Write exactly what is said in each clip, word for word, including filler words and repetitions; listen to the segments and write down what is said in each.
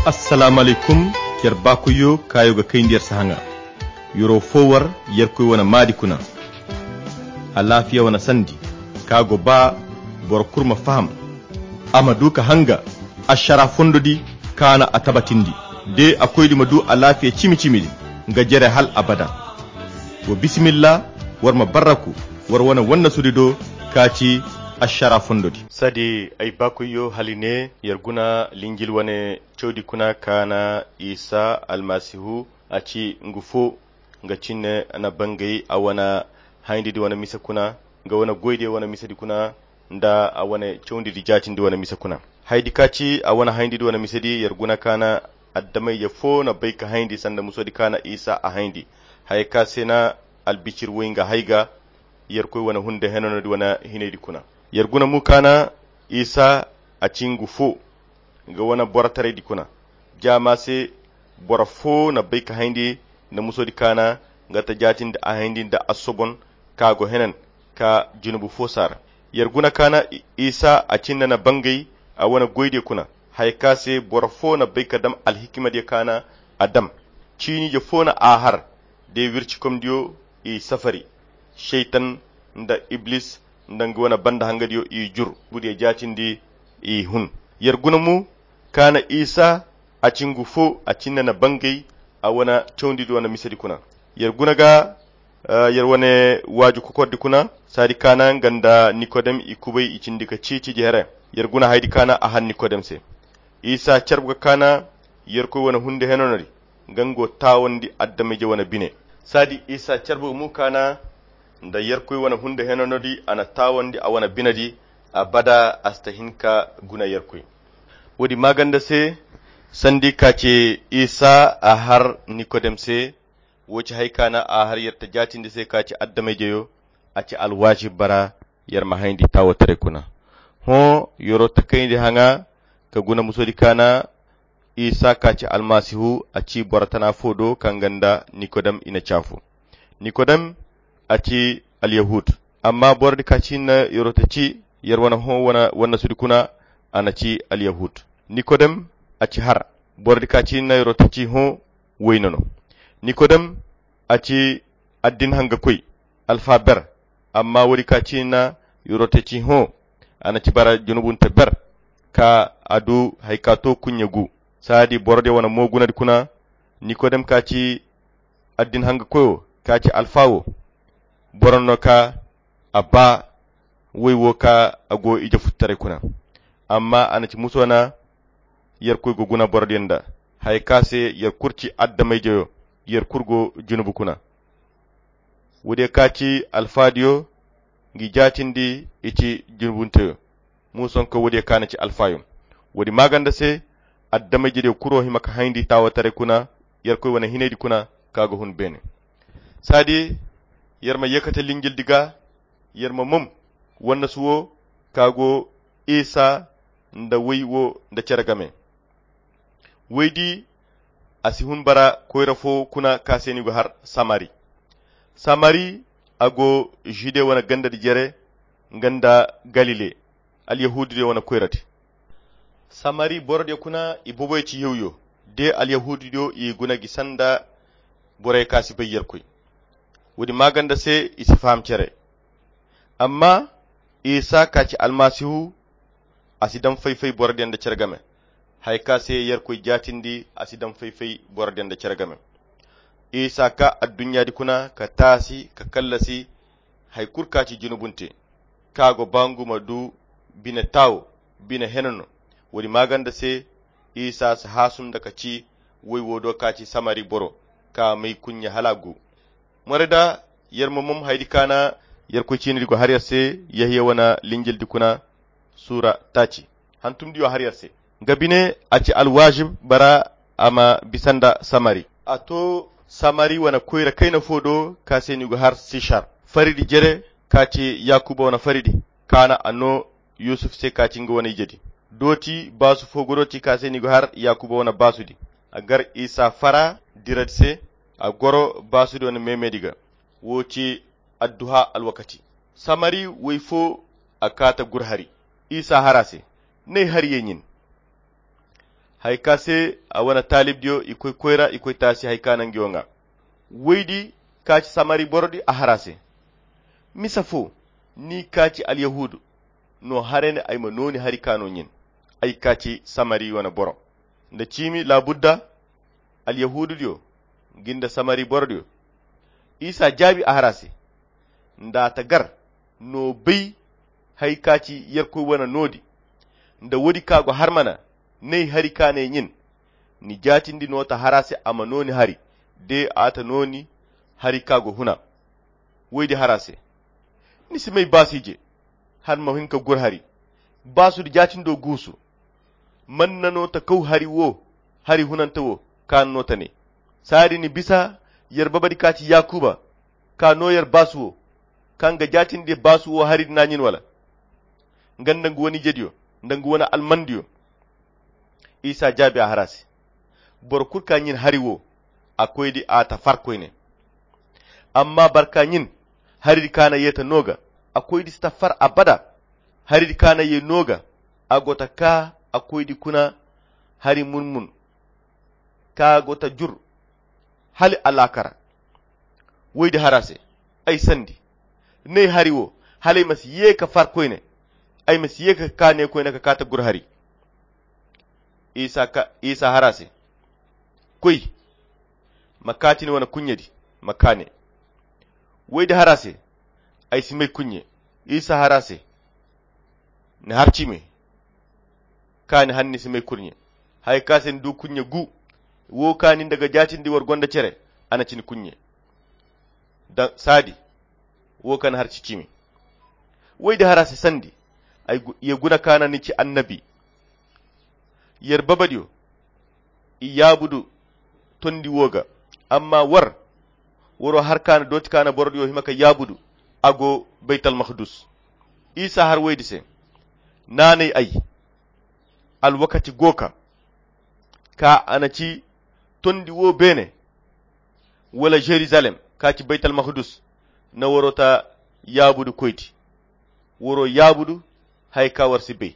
Assalaamu alaykum. Yer baakoyyo kaayo ga kayndi yer sahaŋa. Yer'o fo war yerkoy wane maadi kuna. Alaafiya wane sandi ka go ba boro kulu ma faham, a ma du ka hanga ašara fondo di kaana a tabatindi. De a koydi ma du alaafiya cimi-cimi di nga jere hal abada. Wa bisimilla, war ma barraku war wane wannasudi do ka ci ašara fondo di. Sadi ay baakoyyo hali ne yer guna linjil wane cawdi kuna kaana isa almasihu a ci ngu fo nga cinne na bangay a wane hayndi di wane mise kuna nga wane goyde wane mise di kuna nda a wane cawndi di jaatindi wane mise kuna. Haydi ka ci a wane hayndi di wane mise di yer guna kaana addamayje fo na bay ka hayndi sanda muso di kaana isa a hayndi haya ka se na albicir way nga hay ga yerkoy wane hunde henano di wane hinay di kuna. Yer guna mu kaana isa a ci ngu fo nga wane borotaray di kuna. Jaama se boro fo na bay ka hayndi nda muso di kaana nga ta jaatindi a hayndi nda a sobon ka go henan ka junubu fo saara. Yer guna kaana isa a cinda na bangay a wane goydiyo kuna haya ka se boro fo na bay ka dam alhikimadiyo kaana a dam ciiniijo fo na a har de wircikomdiyo i safari. Seytan nda iblis nda nga wane banda hangadiyo i jur budiyo jaatindi i hun. Yer guna mu kaana isa a ci ngu fo a cinda na bangay a wane cawndi di wane misedi kuna. Yer guna ga yer wane waaju kokordi kuna saadi kaana nga nda nikodem i kubay i cindi ka ciiciji here. Yer guna haydi kaana a han nikodem se isa carbu ga kaana yerkoy wane hunde henano di nga nga go taawandi adameyje wane bine. Saadi isa carbu ga mu kaana nda yerkoy wane hunde henano di a na taawandi a wane bine di abada a si ta hin ka guna yerkoy. Woodi maaganda se sandi ka ci isa a har nikodem se. Wo ci hay kaana a har yer ta jaatindi se ka ci adameyjeyo a ci alwaazib bara yer ma hayndi taawotaray kuna. Hõ yer'o ta kayndi haŋa ka guna musodi kaana isa ka ci almasihu a ci boro tana fo do kaŋ ga nda nikodem i na caafu. Nikodem a ci alyahud. Amma borodi ka ci hinne yer'o ta ci yer wane hõ wane wannasudi kuna a na ci alyahud. Nikodem a ci har. Borodi ka ci hinne yer'o ta ci hõ wayne no. Nikodem a ci addin hangakoy alfa ber. Amma woodi ka ci hinne yer'o ta ci hõ a na ci bara junubunte ber ka a du hari ka to kuɲɲe gu. Saadi borodiyo wane mo gunadi kuna nikodem ka ci addin hangakoyo ka ci alfa wo. Boro no ka a ba way wo ka a go ije futtaray kuna. Amma a na ci muso na yerkoy go guna borodiyo nda haya ka se yer kulu ci adamayjeyo yer kulu go junubu kuna. Woodiyo ka ci alfaadiyo ngi jaatindi i ci junubunteyo. Muusonko woodiyo ka na ci alfaayo. Woodi maaganda se adamayjediyo kuro hima ka hayndi taawataray kuna yerkoy wane hinaydi kuna ka ga hun beene. Saadi yer ma yeekate linjildi ga yer ma mom wannasu wo ka go isa nda woy wo nda cere game. Woydi a si hun bara koyra fo kuna ka se ni go har samari. Samari a go jude wane gandadi jere nga nda galile alyahudidiyo wane koyradi. Samari borodiyo kuna i boboyo ci yawyo de alyahudidiyo i guna gi sanda boroyo ka si bay yerkoy. Woodi maaganda se i si faham cere. Amma isa ka ci almasihu a si daŋ fay-fay borodiyo nda cere game. Haya ka se yerkoy jaatindi a si daŋ fay-fay borodiyo nda cere game. Isa ka adduɲɲaadi kuna ka taasi ka kallasi hari kulu ka ci junubunte ka go ba ngu ma du bine taawo bine hene no. Woodi maaganda se isa si haasum nda ka ci woy wo do ka ci samari boro ka may kuɲɲe hala a gu. More da yer ma mom haydi kaana yerkoy ciinidi go har yer se yahiya wane linjildi kuna suura taaci hantumdiyo har yer se. Nga bine a ci alwaazib bara a ma bisa nda samari. A to samari wane koyra kayna fo do ka se ni go har sisar faridi jere ka ci yakuba wane faridi kaana a no yusuf se ka ci nga wane ijedi. Dooti baasu fo go dooti ka se ni go har yakuba wane baasudi. A gar isa fara diradi se a goro baasudi wane meemedi ga. Wo ci adduha alwakati. Samari woy fo a kaata gur hari isa har a se. N'ay har ye ɲin. Hari ka se a wane taalibdiyo i koy koyra i koy taasi hari ka naŋ ngi wo ŋwa. Woydi ka ci samari borodi a har a se. Misa fo ni ka ci alyahuudu no haray ne ay ma nooni hari ka no ɲin. Ay ka ci samari wane boro nda ciimi laabudda. Alyahuududiyo ngi nda samari borodiyo. Isa jaabi a har a se. Nda a ta gar no bay hari ka ci yerkoy wane noodi. Nda woodi ka go har mana n'ay hari ka n'ay ɲin. Ni jaatindi no ta har a se a ma nooni hari de a ta nooni hari ka go huna. Woydi har a se. Ni si may baasi je har ma hin ka gur hari. Baasudu jaatindo guusu. Man na no ta kaw hari wo hari hunante wo ka na no ta ne. Saadi ni bisa yer babadi ka ci yaakuba ka no yer baasu wo kaŋ ga jaatindi baasu wo hari di na ɲin wala? Nga nda nga wane ijediyo nda nga wane almandiyo. Isa jaabi a har a se. Boro kulu ka ɲin hari wo a koydi a ta far koyne. Amma barka ɲin hari di ka na ye ta no ga a koydi si ta far abada. Hari di ka na ye no ga a go ta ka a koydi kuna hari mun-mun ka go ta jur hala alaakara. Woydi har a se. Ay sandi n'ay hari wo hala ay ma si ye ka far koyne. Ay ma si ye ka ka ne koyne ka ka ta gur hari. Isa har a se. Koy ma kaati ni wane kuɲɲe di ma kaane. Woydi har a se. Ay si may kuɲɲe. Isa har a se. Ni har ciime. Kaani hanni si may kurɲe. Hari ka se ni du kuɲɲe gu. Wo kaani nda ga jaatindi war gonda cere a na ci ni kuɲɲe. Saadi wo kaŋ ni har ci ciime. Woydi har a se sandi. Ye guna kaana ni ci annabi. Yer babadiyo i yaabudu tondi wo ga. Amma war waro har kaana dooti kaana borodiyo hima ka yaabudu. A go baytalmahdus. Isa har woydi se. Naanay ay. Alwakati go ka ka a na ci tondi wo beene wala jerusalem ka ci baytalmahdus. Na waro ta yaabudu koydi. Waro yaabudu hari ka war si bay.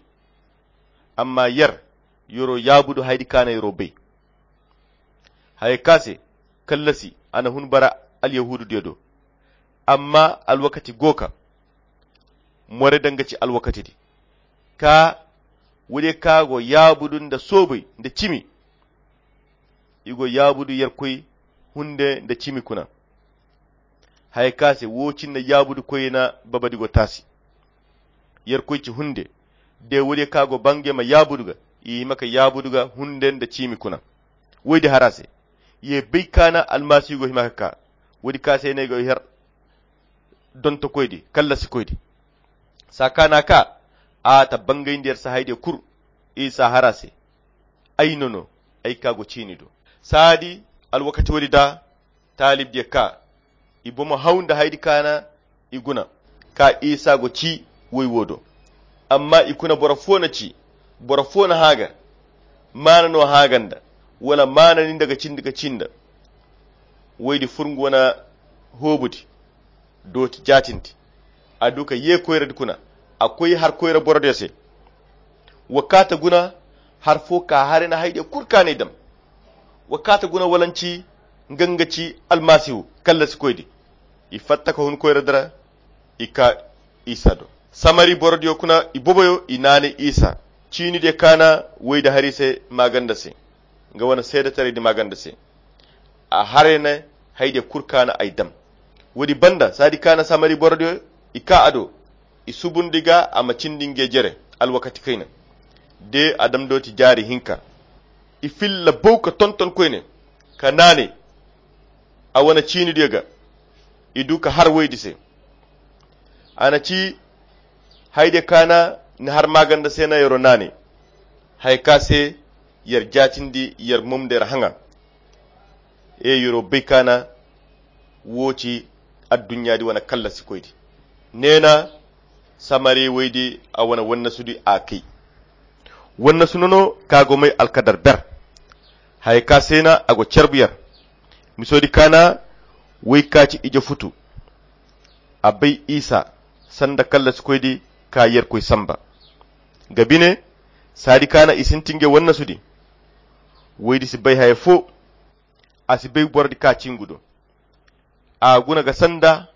Amma yer yaro yaabudu hari di kaana yaro bay. Hari ka se kallasi a na hun bara alyahuududiyo do. Amma alwakati go ka more danga ci alwakati di ka woodiyo ka go yaabudu nda soobay nda cimi. I go yaabudu yerkoy hunde nda cimi kuna. Hari ka se wo cine yaabudu koyna babadi go taasi. Yerkoy ci hunde de woodiyo ka go bange ma yaabudu ga i hima ka yaabudu ga hunde nda cimi kuna. Woydi har a se ye bay kaana almasihu go hima ka ka woodi ka se ne go her dontokoydi kallasikoydi. Saa kaana ka a ta bangayndi yer sahay diyo kul. Isa har a se. Ay no no ay ka go ciini do. Saadi alwakati woodi da taalibdiyo ka i bomo haw nda haydi kaana i guna ka isa go ci woy wo do. Amma i kuna boro fo na ci boro fo na haaga maana no haaga nda wala maana ni nda ga cindi ga ci nda. Woydi fur nga wane hoobudi dooti jaatindi. A du ka ye koyradi kuna a koy har koyra borodiyo se. Wa kaata guna har fo ka haray na haydiyo kul kaanay dam. Wa kaata guna walanci nga nga ci almasihu kallasikoydi. I fatta ka hun koyradi ra i ka isa do. Samari borodiyo kuna i boboyo i naanay isa ciinidiyo kaana woydi hari se maaganda se. Nga wane seedetaraydi maaganda se a haray na haydiyo kul kaana ay dam. Woodi banda saadi kaana samari borodiyo i ka a do i subundi ga a ma cindi nge jere alwakati kayna de a dam dooti jaari hinka. I filla bow ka tonton koyne ka naanay a wane ciinidiyo ga. I du ka har woydi se a na ci haydiyo kaana ni har maaganda se na yero naanay. Haya ka se yer jaatindi yer mom nda yer haŋa. Ee yer'o bay kaana wo ci adduɲɲaadi wane kallasikoydi. Neena samari woydi a wane wannasudi a kay. Wannasu nono ka go may alkadar ber. Haya ka se na a go carbu yer. Misoodi kaana woy ka ci ije futu. A bay isa sanda kallasikoydi ka yerkoy samba. Nga bine saadi kaana i sintin ge wannasudi. Woydi si bay haya fo. A si bay borodi ka cingu do. A guna ga sanda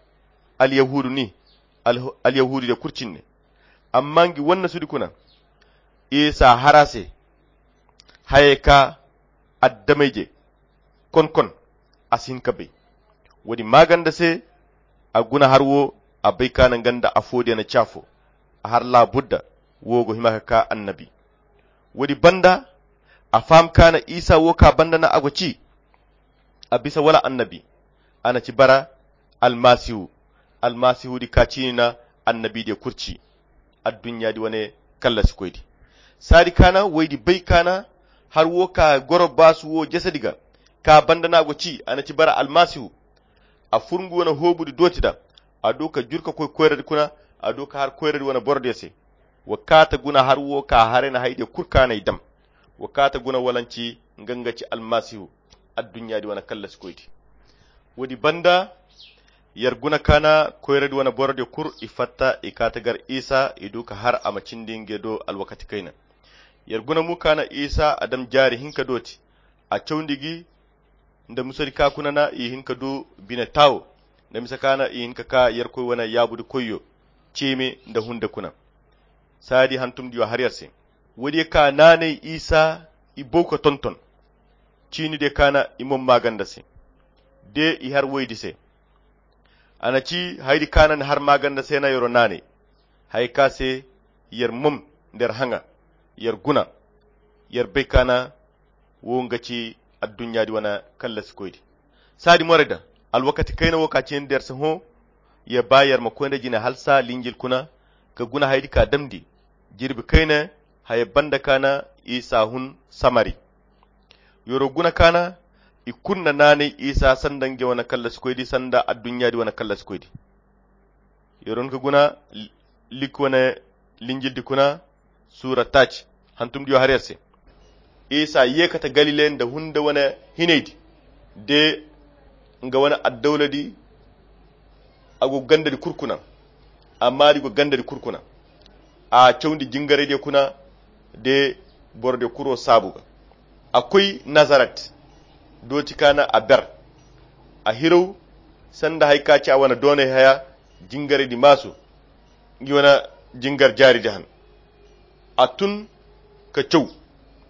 alyahudu ni. Alyahudu de kurcinne. Amma ngi wanna sudi kuna isa hara se. Haya ka addamayje konkon a si hin ka bay. Woodi maaganda se a guna har wo a bay ka na nga nda affo diya na caafo. A har laabudda wo go hima ka ka annabi. Woodi banda a faham ka na isa wo ka banda na a go ci. A bisa wala annabi a na ci bara almasihu. Almasihu di ka ciini na annabi diya kurci. Adduɲɲa di wane kallasi koydi saadi ka na woydi bay ka na har wo ka goro baasu wo jasadi ga ka banda na a go ci a na ci bara almasihu. A fur ngu wane hoobu di dooti da a du ka jur ka koy koyradi kuna. A du ka har koyradi wane borodiyo se. Wa kaata guna har wo ka haray na haydiyo kul ka na ay dam. Wa kaata guna walanci nga nga ci almasihu. Adduɲɲa di wane kallasi koydi. Woodi banda yer guna ka na koyradi wane borodiyo kul i fatta i kaata gar isa i du ka har a ma cindi nge do alwakati kayna. Yer guna mo ka na isa a dam jaari hinka dooti a cawndi gi nda musadi ka kuna na i hin ka du bine taawo nda mise ka na i hin ka ka yerkoy wane yaabudi koyyo ceeme nda hunde kuna. Saadi hantumdiyo har yer se. Woodiyo ka naanay isa i bow ka tonton ciinidiyo ka na i mom maaganda se. De i har woydi se a na ci haydi ka na ni har maaganda se na yero naanay. Haya ka se yer mom nda yer haŋa yer guna yer bay ka na wo nga ci adduɲɲa di wane kallasi koydi. Saadi moray da alwakati kayna wo ka cindi yer se hõ. Yer ba yer ma koy nda jine halsa linjil kuna ka guna haydi ka damndi jirbi kayna. Haya banda ka na isa hun samari. Yero guna ka na i kulu na naanay isa sanda nge wane kallasi koydi sanda adduɲɲa di wane kallasi koydi. Yero hin ka guna lik wane linjil di kuna suura taaci hantumdiyo har yer se. Isa ye kate galile nda hunde wane hinaydi de nga wane addawladi. A go gandadi kul kuna amma di go gandadi kul kuna. A cawndi jingaraydiyo kuna de borodiyo kuro saabu ga. A koy nazaret dooti ka na a ber. A hiraw sanda haya ka ci a wane doonay haya jingaraydi maasu. Ngi wane jingar jaaridi han a tun ka caw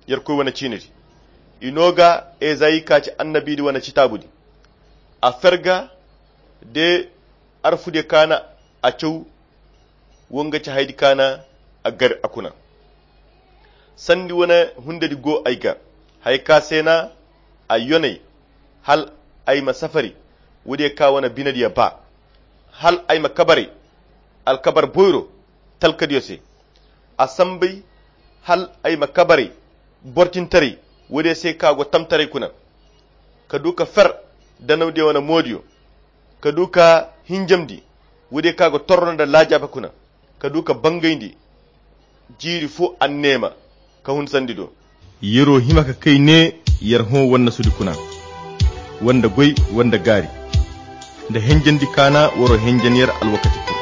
yerkoy wane ciinidi. I no ga ezayi ka ci annabiidi wane citaabudi. A fer ga de arfudiyo ka na a caw. Wo nga ci haydi ka na a gar a kuna. Sandi wane hundedi go ay ga haya ka se na a yonay hal ay ma safari woodiyo ka wane binediyo ba. Hal ay ma kabaray alkabar boyro talkadiyo se. A sambay hal ay ma kabaray bortintaray woodiyo se ka go tamtaray kuna. Ka du ka fer danawdiyo wane moodiyo ka du ka hinjamndi woodiyo ka go torro nda laajaaba kuna. Ka du ka bangayndi jiiri fo anneema ka hun sandi do. Yer'o hima ka kay ne yer hõ wannasudi kuna wanda goy wanda gaari nda henjandi kaana war'o henjan yer alwakati kul.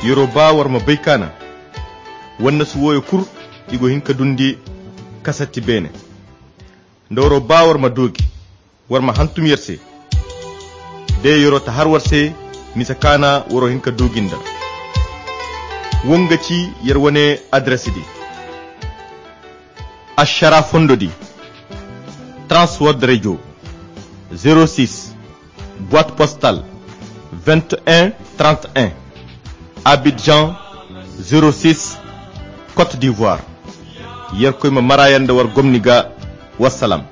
Yer'o ba war ma bay kaana wannasu wooyo kul i go hin ka dundi kasatti beene. Nda war'o ba war ma doogi war ma hantum yer se. De yer'o ta har war se misa kaana war'o hin ka doogi nda. Wo nga ci yer wane adres di. Ašara fondo di. Transworld radio. Zero six boite postale vingt et un trente et un, Abidjan. Zero six, Côte d'Ivoire. Yerkoy ma mara yer nda war gomni ga. Wassalam.